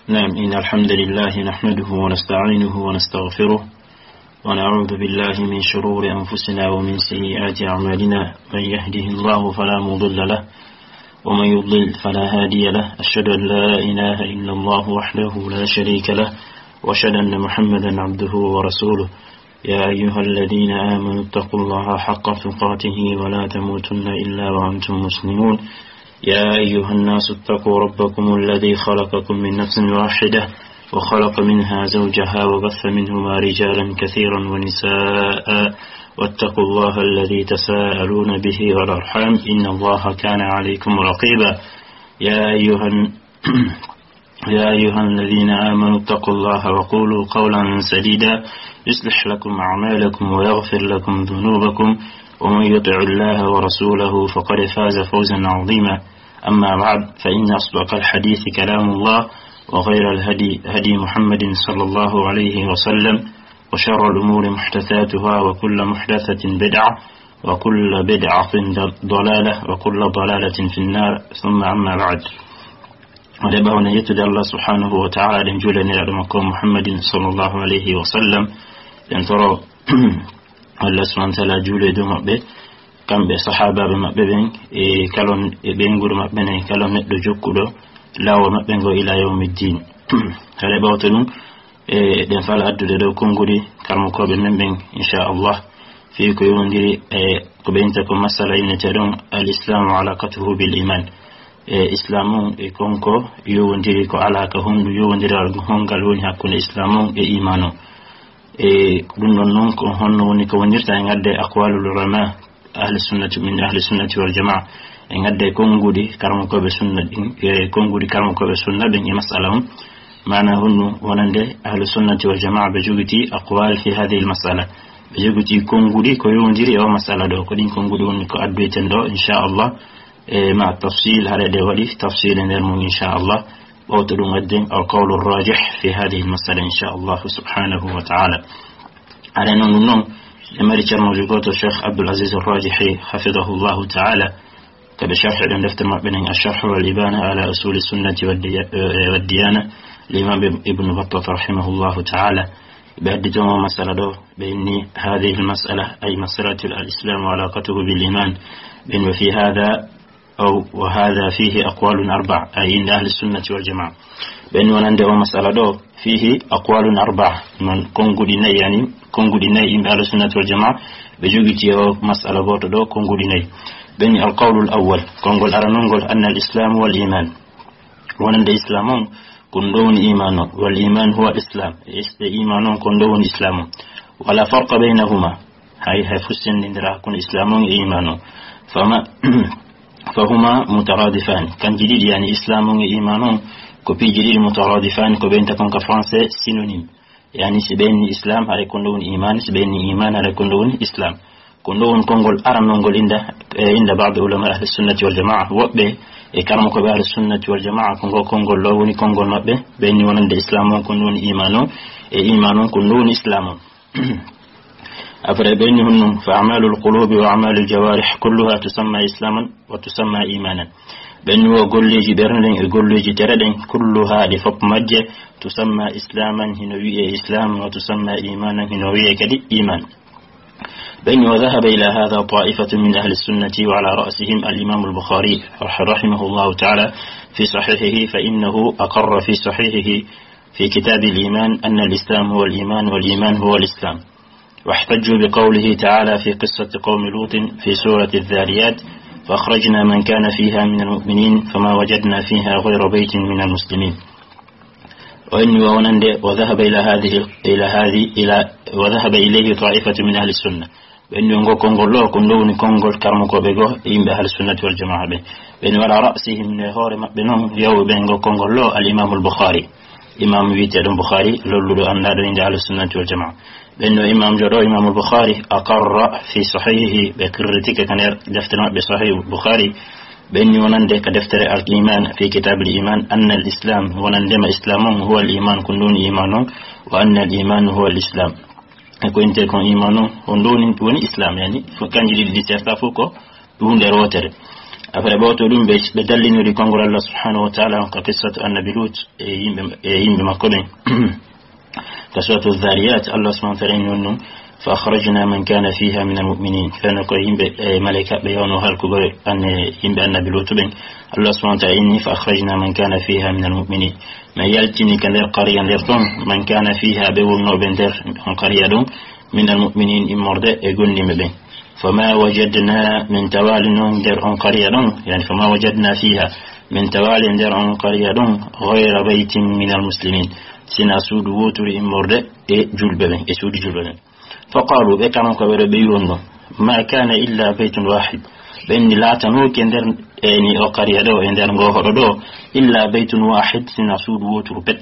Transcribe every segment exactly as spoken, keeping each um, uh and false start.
نعم، إن الحمد لله نحمده ونستعينه ونستغفره، ونعوذ بالله من شرور أنفسنا ومن سيئات أعمالنا. من يهده الله فلا مضل له، ومن يضلل فلا هادي له. أشهد أن لا إله إلا الله وحده لا شريك له، وأشهد أن محمدا عبده ورسوله. يا أيها الذين آمنوا اتقوا الله حق تقاته ولا تموتن إلا وأنتم مسلمون. يا أيها الناس اتقوا ربكم الذي خلقكم من نفس واحدة وخلق منها زوجها وبث منهما رجالا كثيرا ونساء، واتقوا الله الذي تساءلون به والأرحام، إن الله كان عليكم رقيبا. يا أيها الن- يا أيها الذين آمنوا اتقوا الله وقولوا قولا سديدا، يصلح لكم أعمالكم ويغفر لكم ذنوبكم، ومن يطع الله ورسوله فقد فاز فوزا عظيما. أما بعد، فإن أصدق الحديث كلام الله، وخير الهدي هدي محمد صلى الله عليه وسلم، وشر الأمور محدثاتها، وكل محدثة بدعة، وكل بدعة ضلالة، وكل ضلالة في النار. ثم أما بعد. Ade ɓawne yettude Allah subhanahu wa ta'ala, ɗen juulaniraɗo makko Muhammadin sallallahu alayhi wa sallam, ɗen toro Allah subhanahu wa ta'ala juule dow maɓɓe, kamɓe sahaabaaɓe maɓɓe ɓen, e kala on, e ɓeynguure maɓɓe nden, kala neɗɗo jokkuɗo laawol maɓɓe ngo ila yawmiddin. Hade ɓawto ɗum, e ɗen fala addude ɗo konguɗi karmokooɓe men ɓen, inchallah, fii ko yowondiri e ko ɓe innta ko masala inneteeɗon al islamu alaqatuhu bil iman. E islam on e konko yowondiri ko alaka honɗum yowondiral hongal woni hakkunde islam on e iman on. E ɗum ɗon noon ko honno woni ko wonirta e ngadde aqwalul ulama ahli sunnati, min ahli sunnati wal jamaa, e ngadde konguɗi karmokooɓe sunna ɗin, e konguɗi karmokooɓe sunna ɓen e masala on. Maana honɗum wonande ahli sunnati wal jamaa ɓe jogiti aqwal fi hadhihi al masala, ɓe jogiti konguɗi ko yowondiri e o masala ɗo. Ko ɗin konguɗi woni ko addoyten ɗo, inchallah. E ma tafsil, hare ɗe waɗi tafsil e nder mum, inchallah. Ɓawto ɗum adden al qawlu rajih fi hadhihi al masala, inchallah subhanahu wa ta'ala. Hare noon ɗum noon, e mari ceernoojo gooto, Cheikh Abdul Aziz Rajihi, hafidahullahu ta'ala, kaɓe sharhi ɗen defte maɓɓe nden, Ash-Sharh wal Ibana ala Usuli Sunnati wad Diya-, eh, wad Diyana, l'imam Ib-, Ibn Battah rahimahullahu ta'ala. Ɓe addi toon o masala ɗo, ɓe inni, "Hadhihi al-mas'ala, ay mas'alatu al-islam wa alaqatuhu bil iman." Ɓe inni, "Wa fi hadha, aw wa hadha fihi aqwalun arba'a," ay inda ahli sunnati wal jamaa. Ɓe inni wonande o masala ɗo, "Fihi aqwalun arba'a." Non, konguɗi nayi, yani, konguɗi nayi yimɓe ahli sunnati wal jamaa, ɓe jogiti o masala gooto ɗo, konguɗi nayi. Ɓe inni, "Al qawlu al awwal," kongol aranol ngol, "anna al islam wal iman." Wonande islam on, ko ɗum ɗo woni iman on. Wal iman huwa al islam. E is-, e iman on, ko ɗum ɗo woni islam on. Wala farqa baynahuma. Hay, hay fuu senndindiraa hakkunde islam on e iman on. Fama, fahuma mutaradifani. Kanji ɗiɗi, yani islam on e iman on, ko piiji ɗiɗi mutaradifani, ko ɓe innta kon ka français synonyme. Yani si ɓe inni islam, haray ko ɗum ɗo woni iman, si ɓe inni iman, haray ko ɗum ɗo woni islam. Ko ɗum ɗo woni konngol aranol ngol inda, e inda ba'd ulama ahli sunnati wal jamaa. Woɓɓe e karamokooɓe ahli sunnati wal jamaa, ko ngol konngol ɗo woni konngol maɓɓe. Ɓe inni wonande islam on, ko ɗum woni iman on, e iman on, ko ɗum woni islam on. Après, ɓe inni honɗum, "Fa a'malul qulubi wa a'malul jawarih kulluha tusamma islaman wa tusamma imanan." Ɓe inni wo golleeji ɓernde ɗen e golleeji tere ɗen, kulluha, ɗi fof majje, tusamma islaman, hino wi'e islam, wa tusamma imanan, hino wi'e kadi iman. Ɓe inni, "Wa dhahaba ila hadha ta'ifatun min ahli sunnati wa ala ra'sihim al-imam al-Bukhari rahimahullahu ta'ala fi sahihihi, fa innahu aqarra fi sahihihi fi kitab al-iman anna al-islam huwa al-iman wal iman huwa al-islam." واحتجوا بقوله تعالى في قصة قوم لوط في سورة الذاريات: "فأخرجنا من كان فيها من المؤمنين فما وجدنا فيها غير بيت من المسلمين." O inni wo wonande, "وذهب إلى هذه، إلى هذه، إلى، وذهب إليه طائفة من أهل السنة." Ɓe inni ngo konngol ɗo, ko ɗum ɗo woni konngol karamokooɓe goo e yimɓe ahli sunnati wal jamaa ɓe. Ɓe inni, "Wa ala ra'sihim", e hoore maɓɓe noon, yawɓe ɓe ngo konngol ɗo, al imamul Bukhari. Imam wiyeteeɗo Bukhari, lolluɗo, anndaɗo innde ahli sunnati wal jamaa. Ɓe inni o imam joɗo, imamul Bukhari, aqarra fi sahihihi, ɓe qirritike ka nder deftere maɓɓe Sahih Bukhari. Ɓe inni wonande ka deftere al iman, fi kitab al iman, anna al islam, wonande ma islam on, huwa al iman, ko ɗum woni iman on, wa anna al iman huwa al islam. E ko innte kon iman on, ko ɗum woni, woni islam, yani, fof kanji ɗiɗi ɗi serta fof ko ɗum huunde wootere. Après, ɓawto ɗum, ɓe, ɓe dallinori konngol Allah subhanahu wa ta'ala on ka qissatu annabi Lut e yimɓe, e yimɓe makko ɓen. Ka suratu Dhariyat, Allah subhanahu wa ta'ala inni on ɗum, "Fa akhrajna man kana fiha min al-mu'minin." Fewndo ko yimɓe, e, malaika ɓe yawno halkugol an, e, yimɓe annabi Lut ɓen. Allah subhanahu wa ta'ala inni, "Fa akhrajna man kana fiha min al-mu'minin." Men yaltini ka nder qariya nder ton, "Man kana fiha," ɓe wonnooɓe nder on qariya ɗon, "min al-mu'minin," immorde e gomɗinɓe ɓen. "Fama wajadna," men tawaali non nder on qariya ɗon, yani, "fama wajadna fiha," men tawaali nder on qariya ɗon, "ghayra baytin min al-muslimin," sina suudu wooturu immorde e julɓe ɓen, e suudu julɓe ɓen. "Fa qalu," ɓe kano ko ɓe ɗo ɓe wi'on ɗon, "Ma kana illa baytun wahid." Ɓen ni laatanooke nder, e ni o qariya ɗo, e nder ngo hoɗo ɗo, "illa baytun wahid," sina suudu wooturu pet.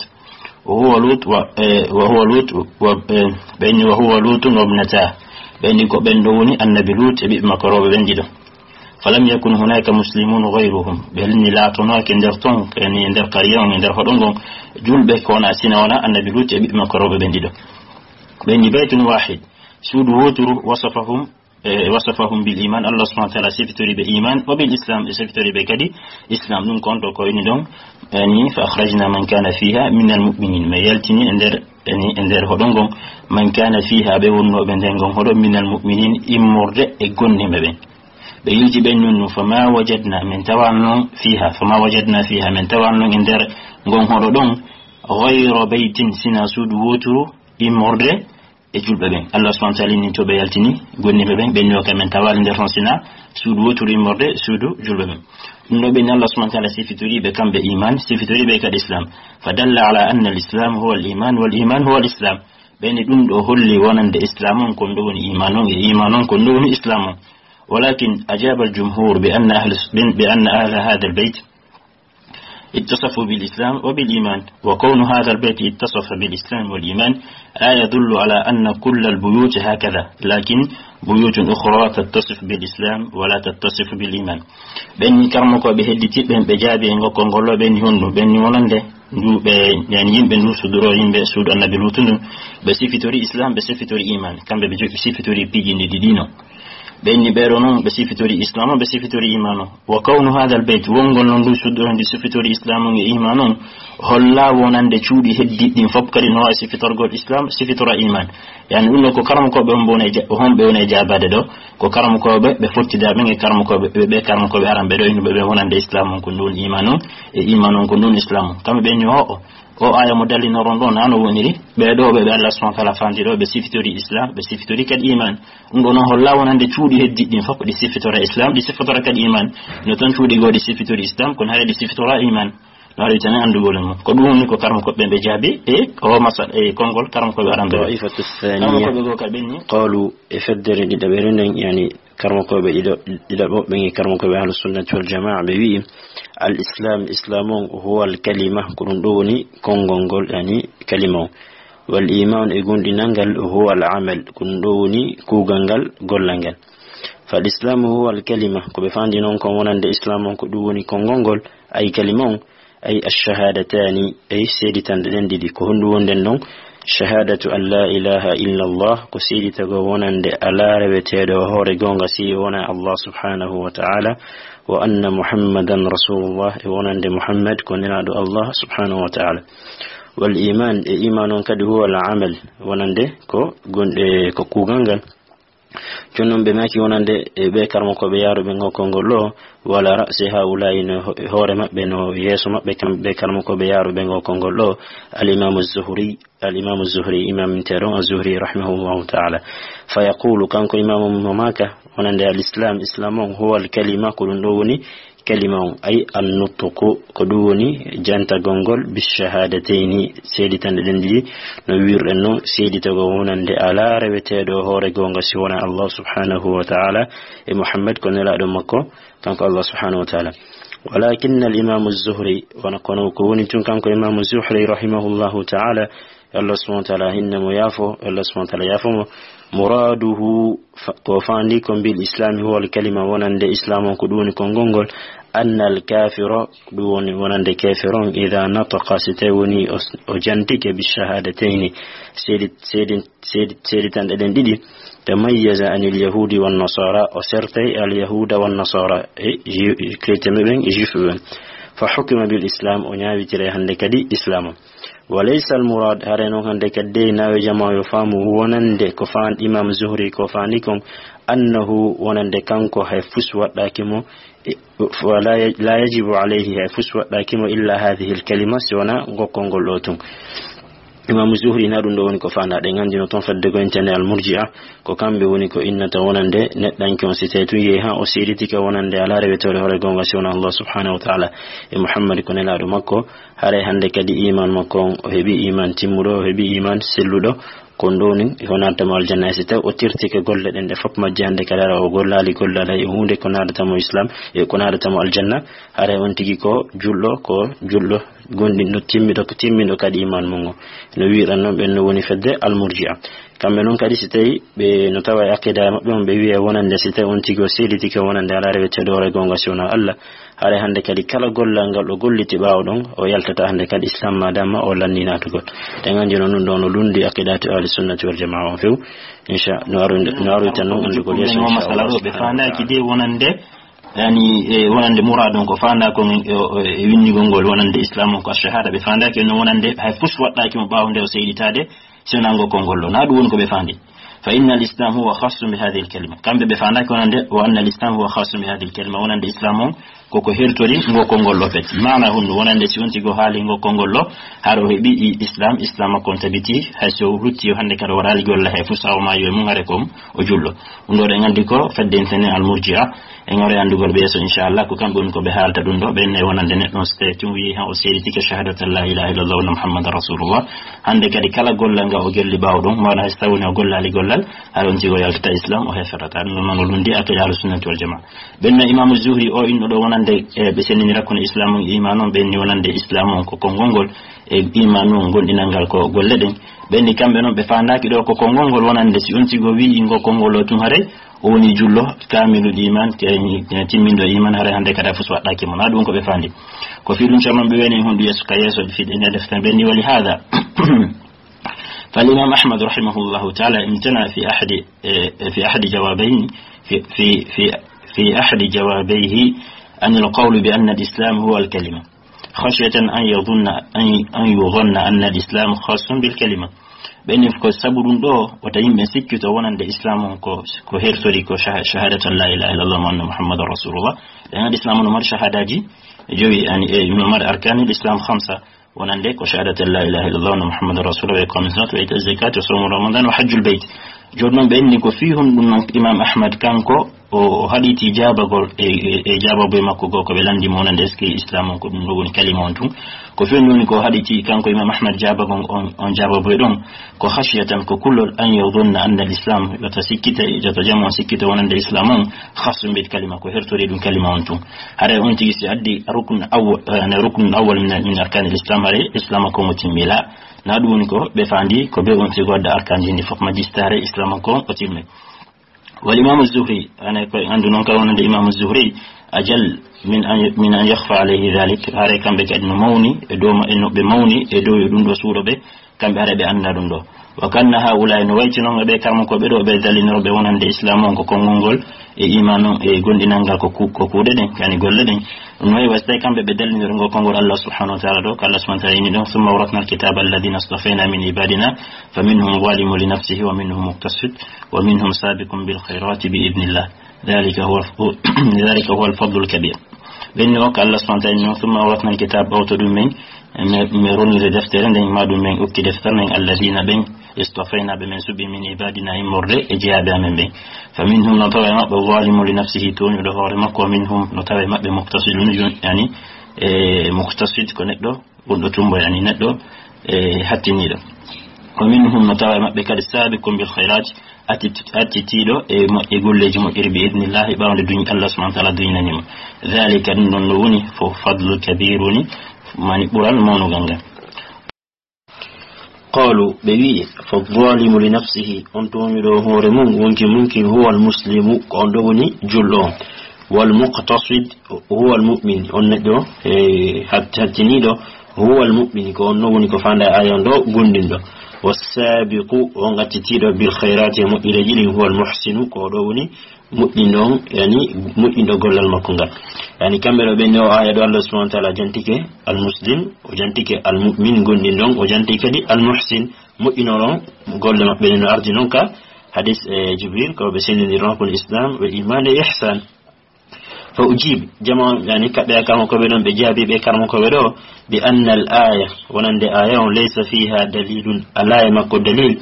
"Wa huwa Lut wa, e, wa huwa Lut wa, e," ɓen ni, "wa huwa Lutun wa ibnata." Ɓen ni ko ɓen ɗo woni annabi Lut e ɓiɓɓe makko rewɓe ɓen ɗiɗo. "Falam yakun hunaka muslimun ghayruhum." Ɓen ni laatanooke nder ton, e ni nder qariya on, e nder hoɗo ngon, julɓe ko wona sina wona annabi Lut e ɓiɓɓe makko rewɓe ɓen ɗiɗo. Ɓen ni baytun wahid, suudu wooturu, wasafahum, e, wasafahum bil iman, Allah subhanahu wa ta'ala sifitori ɓe iman, wa bil islam, e sifitori ɓe kadi islam. Ɗum ko on to ko ini ɗon, yani, "Fa akhrajna man kana fiha min al-mu'minin." Men yaltini e nder, yani, e nder hoɗo ngon, "man kana fiha," ɓe wonnooɓe nder ngon hoɗo, "min al-mu'minin," immorde e gomɗinɓe ɓen. Ɓe yilti ɓen nun, nun, "Fama wajadna," men tawano non fiha, "fama wajadna fiha," men tawano non e nder ngon hoɗo ɗon, "ghayra baytin," sina suudu wooturu immorde e julɓe ɓen. Allah subhanahu wa ta'ala inni to ɓe yaltini gomɗinɓe ɓen, ɓen ni o ka men tawaali nder ton sina suudu wooturu immorde suudu julɓe ɓen. Ɗum ɗo ɓen Allah subhanahu wa ta'ala sifitori ɓe kamɓe iman, sifitori ɓe kadi islam. Fa dalla ala anna al-islam huwa al-iman, wal iman huwa al-islam. Ɓen ni ɗum ɗo holli wonande islam on kon ɗo woni iman on, e iman on kon ɗo woni islam on. Walakin ajaba al-jumhur bi anna ahli, bi anna ahla hadha al-bayt اتصفوا بالإسلام وبالإيمان، وكون هذا البيت اتصف بالإسلام والإيمان لا يدل على أن كل البيوت هكذا، لكن بيوت أخرى تتصف بالإسلام ولا تتصف بالإيمان. Ɓen ni karmokooɓe hedditi ɓen ɓe jaabi e ngokkol ngol ɗo, ɓen ni honɗum? Ɓen ni wonande ndu ɓe, yani, yimɓe ndu suduro, yimɓe suudu annabi Lutu ndun, ɓe sifitori islam, ɓe sifitori iman, kamɓe ɓe jo-, ɓe sifitori piiji ɗi ɗiɗi no. Ɓen ni ɓeɗo non ɓe sifitori islam, ɓe sifitori iman o. Wa kawnu hadha al-bayt, wongol non ndu suduro ndu sifitori islam on e iman on, holla wonande cuuɗi heddiɗi ɗin fof kadi no wawi sifitorgol islam, sifitora iman. Yani ɗum ɗo ko karmokooɓe on ɓe woni e ja-, honɓe woni e jaabaade ɗo? Ko karmokooɓe ɓe fottida ɓen e karmokooɓe, ɓe, ɓe karmokooɓe aran ɓe ɗo, innuɓe ɓe wonande islam on ko ndun iman on, e iman on ko ndun islam on. Kamɓe ɓen ni o, o, o aya mo dallinoron ɗo na no woniri, ɓe ɗo ɓe, ɓe Allah subhanahu wa ta'ala fandi ɗo, ɓe sifitori islam, ɓe sifitori kadi iman. Ɗum ɗo non holla wonande cuuɗi heddiɗi ɗin fof ɗi sifitora islam, ɗi sifitora kadi iman. No tan cuuɗi goo ɗi sifitori islam, kono haray ɗi sifitora iman. No haray tan anndugol e mum. Ko ɗum woni ko karmokooɓe ɓe jaabi e o masal, e konngol karmokooɓe aran ɓe. Ta'ifatu thaniya. Karmokooɓe goo ka ɓen ni. Qalu, e feddere ɗiɗaɓere nden, yani, karmokooɓe ɗiɗo, ɗiɗaɓo ɓen e karmokooɓe ahlu sunnati wal jamaa, ɓe wi'i, al islam, islam on, huwa al kalima, ko ɗum ɗo woni konngol ngol, yani, kalima on. Wal iman, e gomɗinal ngal, huwa al amal, ko ɗum ɗo woni kuugal ngal, gollal ngal. Fal islamu huwa al kalima, ko ɓe fandi non kon wonande islam on, ko ɗum woni konngol ngol, ay kalima on, ay ash-shahadatani, ay seeditanɗe ɗen ɗiɗi. Ko honɗum wonden non? Shahadatu an la ilaha illa Allah, ko seeditagol wonande alaa reweteeɗo hoore goonga si wona Allah subhanahu wa ta'ala, wa anna Muhammadan rasulullah, e wonande Muhammad ko nelaaɗo Allah subhanahu wa ta'ala. Wal iman, e iman on kadi huwa al amal, wonande ko gon-, e ko kuugal ngal. Jooni non ɓe maaki wonande e ɓe karmokooɓe yaaruɓe ngokkol ngol ɗo, wa ala ra'si haula'i, no ho-, hoore maɓɓe, no yeeso maɓɓe, kamɓe karmokooɓe yaaruɓe ngokkol ngol ɗo, al imamu Zuhri, al imamu Zuhri, imam teeɗo on Az-Zuhri rahimahullahu ta'ala. Fa yaqulu, kanko imamu mo maaka, wonande al islam, islam on, huwa al kalima, ko ɗum ɗo woni kalima on, ay an-nutqu, ko ɗum woni jantagol ngol, bish-shahadatayni, seeditanɗe ɗen ɗiɗi, no wi'irɗen non, seeditagol wonande alaa reweteeɗo hoore goonga si wonaa Allah subhanahu wa ta'ala, e Muhammad ko nelaaɗo makko, kanko Allah subhanahu wa ta'ala. Walakinna al-imamu Zuhri, wona kono ko woni tun kanko imamu Zuhri rahimahullahu ta'ala, Allah subhanahu wa ta'ala hinna mo yaafo, Allah subhanahu wa ta'ala yaafo mo. Muraduhu, fa-, ko fandi ko bil islami huwa al kalima, wonande islam on ko ɗum woni konngol ngol, anna al kafira, ko ɗum woni wonande kafir on, idha nataqa, si tawi woni o, o jantike bi shahadatayni, seedi, seedi, seedi, seeditanɗe ɗen ɗiɗi, تميز عن اليهود والنصارى, o sertay al yahuda wan nasara, e ju-, chrétien ɓe ɓen, e juif ɓe ɓen. فحكم بالإسلام, o ñaawitire hannde kadi islam o. وليس المراد, hare noon hannde kadi de nawe jama yo faamu wonande ko faan imam Zuhri ko faandi kon, أنه, wonande kanko hay fus waɗɗaaki mo, e, ولا ي-, لا يجب عليه, hay fus waɗɗaaki mo إلا هذه الكلمة, si wona ngokkol ngol ɗo tun. Imaamu Zuhri na ɗum ɗo woni ko faandaa. Ɗen anndi no toon fedde ko intene al murji'a, ko kamɓe woni ko innata wonande neɗɗanke on, si tawi tun yehi haa o seeditike wonande alaa rewetooɗo hoore goonga si wona Allah subhanahu wa ta'ala, e Muhammad ko nelaaɗo makko, haray hannde kadi iman makko on, o heɓi iman timmuɗo, o heɓi iman selluɗo, ko ɗum ɗo woni ko naadata mo aljanna. E si tawi o tirtike golle ɗen ɗe fof majje hannde kadi hara o gollaali gollal hay e huunde ko naadata mo islam, e ko naadata mo aljanna, haray on tigi ko julɗo, ko julɗo gonɗinɗo timmiɗo, timmiɗo kadi iman mum o. No wiiran noon ɓen no woni fedde al murji'a. Kamɓe noon kadi si tawi ɓe no tawa e aqida maɓɓe on ɓe wiya wonande si tawi on tigi o seeditike wonande alaa reweteeɗo hoore goonga si wonaa Allah, haray hannde kadi kala gollal ngal o golliti ɓaawo ɗon o yaltata hannde kadi islam madama o lanni naatugol. Ɗen anndi noon ɗum ɗo no lundi aqidatu ahli sunnati wal jamaa on few. Incha no aru-, no aroyta noon anndugol yeeso, incha Allah. Masala ɗo ɓe faandaaki de wonande yani, e wonande muraad on ko faandaa kon e, e, e winndigol ngol wonande islam on ko ashahada, ɓe faandaaki no wonande hay fus waɗɗaaki mo ɓaawo nde o seeditaade, si wonaa ngokkol ngol ɗo. Na ɗum woni ko ɓe faandi. فإن الإسلام هو خاص بهذه الكلمة. Kamɓe ɓe faandaaki wonande, وأن الإسلام هو خاص بهذه الكلمة, wonande islam on ko ko hertori ngokkol ngol ɗo feti. Maana hundu wonande si on tigi o haali ngokkol ngol ɗo, hara o heɓi i islam, islam makko on tabiti, hay so o rutti o hannde kadi o waɗaali golle hay fus haa o maayi e mum, hare ko o julɗo. Ɗum ɗo ɗen anndi ko fedde intene al murji'a. En aroya anndugol ɓe yeeso, inchallah, ko kamɓe woni ko ɓe haalta ɗum ɗo. Ɓen ne wonande neɗɗo on, so tawi tun wiyi han o seeditike shahadatu an la ilaha illallah wa anna Muhammadan rasulullah. Hannde kadi kala gollal ngal o golli ɓaawo ɗum, maana hay so tawi woni o gollaali gollal, hara on tigi o yaltata islam, o heferata. Ɗum noon o lundi aqida ahlu sunnati wal jamaa. Ɓen no Imaamu Zuhri o inno ɗo wonande, e, ɓe sendinira kono islam on e iman on, ɓen ni wonande islam on ko konngol ngol, e iman on gonɗinal ngal ko golle ɗen. Ɓen ni kamɓe noon ɓe faandaaki ɗo ko konngol ngol wonande si on tigi o wiyi ngo konngol o tun haray, o woni julɗo, kaamilu iman, ke-, timminɗo iman, haray hannde kadi a fus waɗɗaaki mo. Na ɗum ko ɓe faandi. Ko fii ɗum caman ɓe woni hondu yeeso ka yeeso, fii ɗen e defte ɓen ni wali haada. فالإمام أحمد رحمه الله تعالى امتنع في أحد، في أحد جوابين، في، في، في، في أحد جوابيه عن القول بأن الإسلام هو الكلمة، خشية أن يظن، أن، أن يظن أن الإسلام خاص بالكلمة. Ɓen ko sabu ɗum ɗo, wota yimɓe sikkito wonande islam on ko, ko hertori ko shaha-, shahadatu an la ilaha illallah wa anna Muhammadan rasulullah. Ɗen islam on no mari shahadaji jowi, yani, e, no mari arkanil islam khamsa. Wonande ko shahadatu an la ilaha illallah wa anna Muhammadan rasulullah, wa iqamis salati wa ita'iz zakati wa sawmu ramadan wa hajjul bayt. Jooni noon ɓe inni ko fii honɗum noon Imam Ahmad kanko o, o haɗiti jaabagol e, e, e jaababoy makko goo ko ɓe lanndi mo wonande est-ce que islam on ko ɗum ɗo woni kalima on tun. Ko fii honɗum woni ko haɗiti kanko Imam Ahmad jaabagol on, on jaababoy ɗon ko khashiyatan ko kulol an yadhunna anna al-islam, wota sikkita, wota jam on sikkita wonande islam on khassun bil kalima, ko hertori ɗum kalima on tun. Haray on tigi si addi rukn awwal, eh, ne rukn awwal min, min arkanil islam, haray islam ko mo timmila. Na ɗum woni ko ɓe faandi, ko ɓe on tigi wadda arkanji ndi fof majjista, haray islam ko o timme. Wal Imam Az-Zuhri, ane ko anndu noon ka wonande Imam Az-Zuhri, ajal min an, min an yakhfa alayhi dhalik, haray kamɓe kadi no mawni e dow ma-, e no ɓe mawni e dow yo ɗum ɗo suuɗo ɓe, kamɓe haray ɓe annda ɗum ɗo. Wa kanna haulai, no wayti noon e ɓe karmukooɓe ɗo, ɓe dallinoro ɓe wonande islam on ko konngol ngol, e iman on, e gonɗinal ngal ko ku-, ko kuuɗe ɗen, yani golle ɗen. Ɗum wayi wa so tawi kamɓe ɓe dallinori ngo konngol Allah subhanahu wa ta'ala ɗo, ko Allah subhanahu wa ta'ala inni ɗon, thumma awrathna al-kitaba alladhina istafayna min ibadina, faminhum zalimun li nafsihi wa minhum muqtasid, wa minhum sabiqun bil khayrati bi idhnillah. Dhalika huwa, dhalika huwa al-fadlu al-kabir. Ɓen ni o ko Allah subhanahu wa ta'ala inni ɗon, thumma awrathna al-kitaba, ɓawto ɗum men, mi, mi roniri deftere nden, ma ɗum men okki deftere nden, alladhina ɓen, istafayna ɓe men suɓi min ibadina immorde e jeyaaɓe amen ɓen. Fa minhum no tawa e maɓɓe zalimun li nafsihi, tooñuɗo hoore makko, wa minhum no tawa e maɓɓe muqtasidun, yani, e muqtasid ko neɗɗo wonɗo tumbo, yani neɗɗo, e hattiniiɗo. Wa minhum no tawa e maɓɓe kadi sabiqun bil khairat, attit-, attitiiɗo e moƴƴe golleeji moƴƴiri bi idnillahi ɓaawnde duñ-, Allah subhanahu wa ta'ala duñinani mo. Dhalika ɗum ɗon no woni fo fadlu kabir woni mani ɓural mawnugal ngal. Qalu, ɓe wi'i, fa zalimu li nafsihi, on tooñuɗo hoore mum, wonki mum kin, huwa al muslimu, ko on ɗo woni julɗo on. Wal muqtasid, huwa al mu'min, on neɗɗo, e, hat-, hattiniiɗo, huwa al mu'min, ko on ɗo woni ko faanda e aya on ɗo, gomɗinɗo. Wassaabiqu, on accitiiɗo, bil khayraati, e moƴƴireeji ɗin, huwal muhsinu, ko ɗo woni moƴƴinɗo on, yani moƴƴinɗo gollal makko ngal. Yani kamɓe ɗo ɓen, o aya ɗo Allah subhanahu wa ta'ala jantike al muslim, o jantike al mu'min gonɗinɗo on, o jantike kadi al muhsin, moƴƴinooɗo on golle maɓɓe ɗen, no ardi non ka hadis e Jibril, ko ɓe sendindiri non hakkunde islam, ɓe iman e ihsan. Fa ujib, jama on, yani, kaɓɓe e karmo ko ɓe ɗon, ɓe jaabi ɓe karmo ko ɓe ɗo, bi anna al aya, wonande aya on, laysa fiha dalilun, alaa e makko dalil,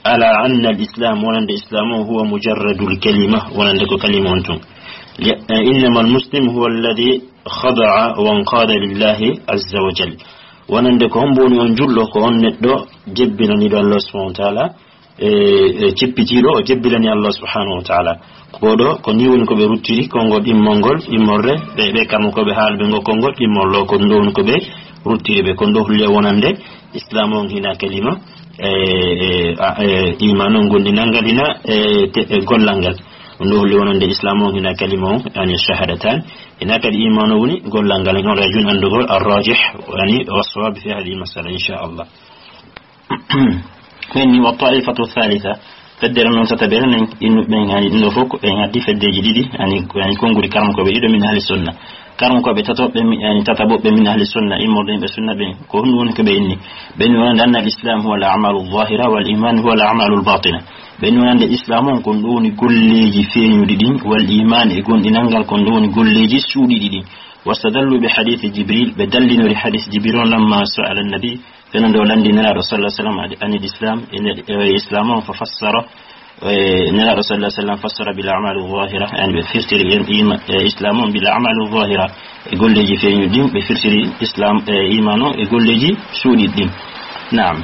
ala anna al islam, wonande islam on, huwa mujarradul kalima, wonande ko kalima on tun. Li-, eh, innama al muslim huwa alladhi khada'a wa anqada lillahi azza wa jal. Wonande ko hombo woni on julɗo, ko on neɗɗo jebbilaniɗo Allah subhanahu wa ta'ala, e, e ceppitiiɗo, o jebbilani Allah subhanahu wa ta'ala. Ko ɗo, ko ni woni ko ɓe ruttiri, konngol immol ngol, immorde, ɓe, ɓe kamɓe ko ɓe haalɓe ngo konngol immol ɗo, ko ɗum ɗo woni ko ɓe ruttiri ɓe. Ko ɗum ɗo holli wonande islam on hina kalima, e, e, a, e, iman on gonɗinal ngal hina, e, te, e, gollal ngal. Ɗum ɗo holli wonande islam on hina kalima on, yani shahadatan, hina kadi iman on woni gollal ngal, on rajun anndugol arrajih, yani, wa sawab fi hadhihi masala, insha Allah. Ɓen ni, wa ta'ifatu thalitha, feddere non tataɓere nden, innu ɓen, yani, ɗum ɗo fof ko ɓen addi feddeji ɗiɗi, yani, yani, konngudi karmo ko ɓe ɗiɗo min ahli sunna. Karmo ko ɓe tato ɓe mi-, yani, tataɓo ɓe min ahli sunna, immorde ɓe sunna ɓen. Ko honɗum woni ko ɓe inni? Ɓen wonande anna al islam huwa al a'malu zahira wal iman huwa al a'malu al batina. Ɓen wonande islam on kon ɗo woni golleji feeñuɗi ɗin, wal iman e gonɗinal ngal kon ɗo woni golleji suuɗiɗi ɗin. Wastadallu bi hadith Jibril, ɓe dallinori hadith Jibril on lamma sa'ala nabi, fenande o lanndi Nelaaɗo sallallahu alaihi wasallam ani, anil islam, e nder, e islam on, fa fassara, e Nelaaɗo sallallahu alaihi wasallam fassara bil a'mali zahira, yani ɓe firtiri en ima-, e islam on bil a'mali zahira, e golleji feeñuɗi ɗin, ɓe firtiri islam, e iman on, e golleji suuɗiɗi ɗin. Naam.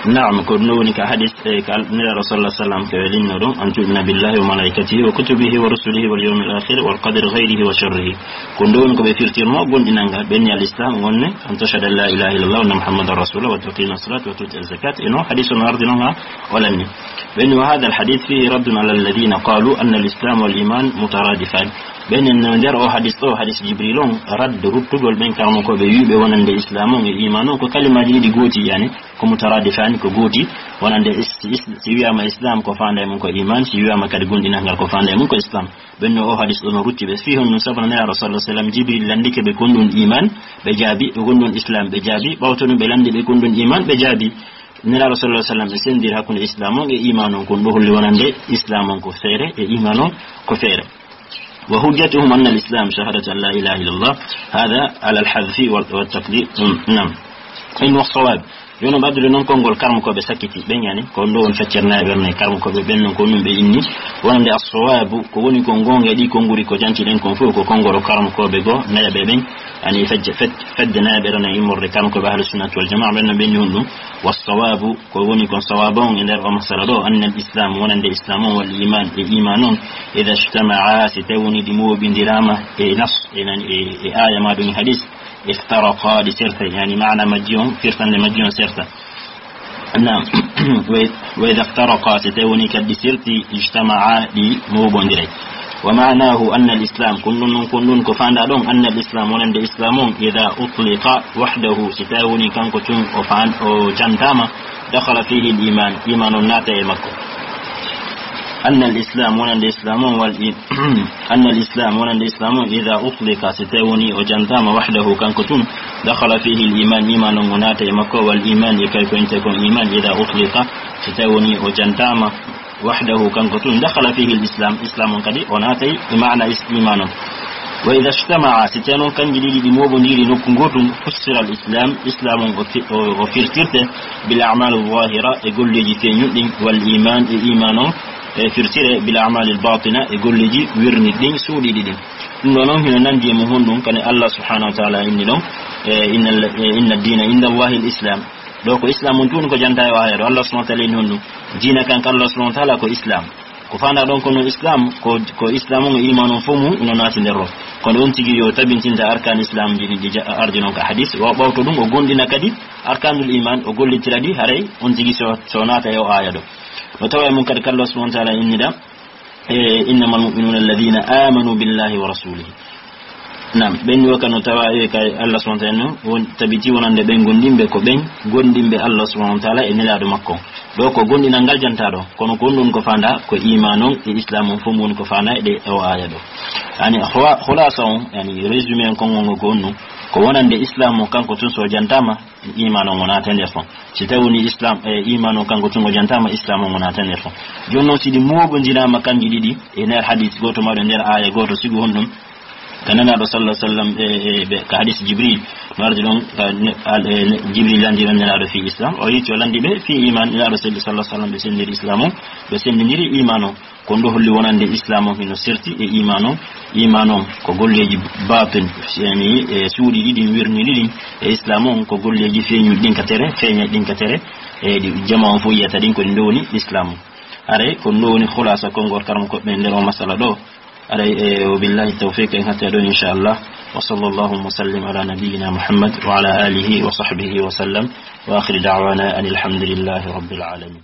Naam, ko ɗum woni ka hadis, e ka Nelaaɗo sallallahu alaihi wasallam ko linno ɗum, an tu'mina billahi wa malaikatihi wa kutubihi wa rusulihi wal yawmil akhir wal qadri khayrihi wa sharrihi. Ko ɗum woni ko ɓe firtirno gonɗinal ngal, ɓe ni al islam wonne, an tashhada an la ilaha illallah wa anna muhammadan rasulullah wa tuqima salata wa tuti zakat. E no hadis on ardi non ha o lanni. Ɓe ni, wa hadha al hadith fihi raddun ala alladhina qalu anna al islam wal iman mutaradifan. Ɓen en no nder o hadis ɗo, hadis Jibril on, radd ruttugol ɓen karmo ko ɓe wiɓe wonande islam on e iman on ko kalimaji ɗiɗi gooti, yani ko mutaradifani, ko gooti, wonande is-, is-, si wiyama islam ko fanda e mum ko iman, si wiyama kadi gonɗinal ngal ko fanda e mum ko islam. Ɓen no o hadis ɗo no rutti ɓe. Fi honɗum? Sabu no Nelaaɗo sallallahu alaihi wasallam Jibril landike ɓe kon ɗum iman, ɓe jaabi, ɓe kon ɗum islam, ɓe jaabi, ɓawto ɗum ɓe landi ɓe kon ɗum iman, ɓe jaabi. Nelaaɗo sallallahu alaihi wasallam ɓe sendiri hakkunde islam on e iman on, kon ɗo holli wonande islam on ko feere e iman on ko feere. Wa hujjatuhum anna al-islam shahadatu an la ilaha illallah, hadha ala al-hadhfi wa, wa taqdim. Mm, naam. In wa sawab. Jooni o ɓaddude noon konngol karmokooɓe sakkiti ɓen, yani, ko ɗo woni feccere nayaɓere nayi karmokooɓe ɓen, noon ko ɗum ɓe inni. Wonande as-sawaabu, ko woni ko goonga e ɗi konnguri ko jantiɗen kon fof, ko konngol karmokooɓe goo nayaɓe ɓen, yani, fedde, fed-, fedde nayaɓere nayi immorde karmokooɓe ahlu sunnati wal jamaa ɓen, no ɓe inni honɗum. Wa sawaabu, ko woni kon sawaabu on e nder o masala ɗo, anna al-islam, wonande islam on, wal iman, e iman on, ida ijtama'a, si tawi woni ɗi mooɓindiraama e nas, e nani, e, e aaya ma ɗum e hadis, iftaraqa, ɗi sertay, yani maana majji on, firtande majji on serta. Naam. Wa, wa idha iftaraqa, si tawi woni kadi ɗi serti, ijtama'a, ɗi mooɓondiray. Wa ma'nahu anna al-islam, kon ɗum non, kon ɗum ko faanda ɗon, anna al-islam, wonande islam on, idha utliqa wahdahu, si tawi woni kanko tun o faan-, o jantaama, dakhala fihi al-iman, iman on naata e makko. Anna al-islam, wonande islam on, wal i-, anna al-islam, wonande islam on, idha utliqa, si tawi woni o jantaama wahdahu, kanko tun, dakhala fihi al-iman, iman on o naata e makko, wal iman, e kay ko inte kon iman, idha utliqa, si tawi woni o jantaama wahdahu, kanko tun, dakhala fihi al-islam, islam on kadi o naatay e maana is-, iman on. Wa idha ijtama'a, si tawi noon kanji ɗiɗi ɗi mooɓondiri nokku gootun, fussira al-islam, islam on o fi-, o, o firtirte bil a'mal al-zahira, e golleeji feeñuɗi ɗin, wal iman, e iman on, e firtire bil a'mal al-batina, e golleeji wirniɗi ɗin, suuɗiɗi ɗin. Ɗum ɗo noon hino nandi e mum honɗum, kadi Allah subhanahu wa ta'ala inni ɗon, e, inna, e, inna ad-dina inda Allahi al-islam. Ɗo ko islam on tun ko janta e o aaya ɗo. Allah subhanahu wa ta'ala inni honɗum? Diina kan ka Allah subhanahu wa ta'ala ko islam. Ko faanda ɗon ko no islam, ko, ko islam on e iman on fof mum ino naati nder ɗo. Kono on tigi yo tabintinta arkaan islam ji ɗi ja-, ardi non ka hadis. Wa ɓawto ɗum o gondina kadi arkaanul iman, o gollitira ɗi, haray on tigi so, so naata e o aaya ɗo. No tawa e mum kadi ka Allah subhanahu wa ta'ala innida, e, innamal mu'minuna alladhina amanu billahi wa rasulihi. Nam, ɓen ni wakano tawa e kay Allah subhanahu wa ta'ala no won tabiti wonande ɓen gondimɓe ko ɓen gondimɓe Allah subhanahu wa ta'ala e nelaaɗo makko. Ɗo ko gondinal ngal jantaɗo, kono ko ɗum ko fanda ko iman on e islam on fof woni ko fanda e ɗe o aya ɗo. Yani khula-, khulasa on, yani résumé on konngol ngol ko on ɗum, ko wonande islam on kanko tun so jantama, iman on wonata nder fon. Si tawi woni islam e iman on kanko tun o jantama, islam on wonata nder fon. Jooni noon si ɗi moɓondirama kanji ɗiɗi e nder hadis goto maɗo nder aya goto, sigo honɗum? Ka nanaɗo sallallahu alaihi wasallam e, e, ɓe, ka hadis Jibril no ardi ɗon, ka ne-, al-, e, ne-, Jibril landi ɗon nanaɗo fi islam, o yiti o landi ɓe fi iman, nanaɗo sallallahu alaihi wasallam ɓe sendiri islam on, ɓe sendindiri iman on. Ko ndo holli wonande islam on hino serti e iman on. Iman on ko golleji batin, yani e suuɗi ɗiɗi wirni ɗiɗi, e islam on ko golleji feeñuɗi ɗin ka tere, feeñaɗi ɗin ka tere, e ɗi jama on fof yiyata ɗin ko ɗi ndowni islam on. Aray ko ɗum ɗo woni khulasa konngol karam ko ɓe nder o masala ɗo. Aray, e, wa billahi tawfiq, en hatta ɗon inchallah. Wa sallallahu wa sallim ala nabiyyina Muhammad wa ala alihi wa sahbihi wa sallam. Wa akhir da'wana anil hamdulillahi rabbil alamin.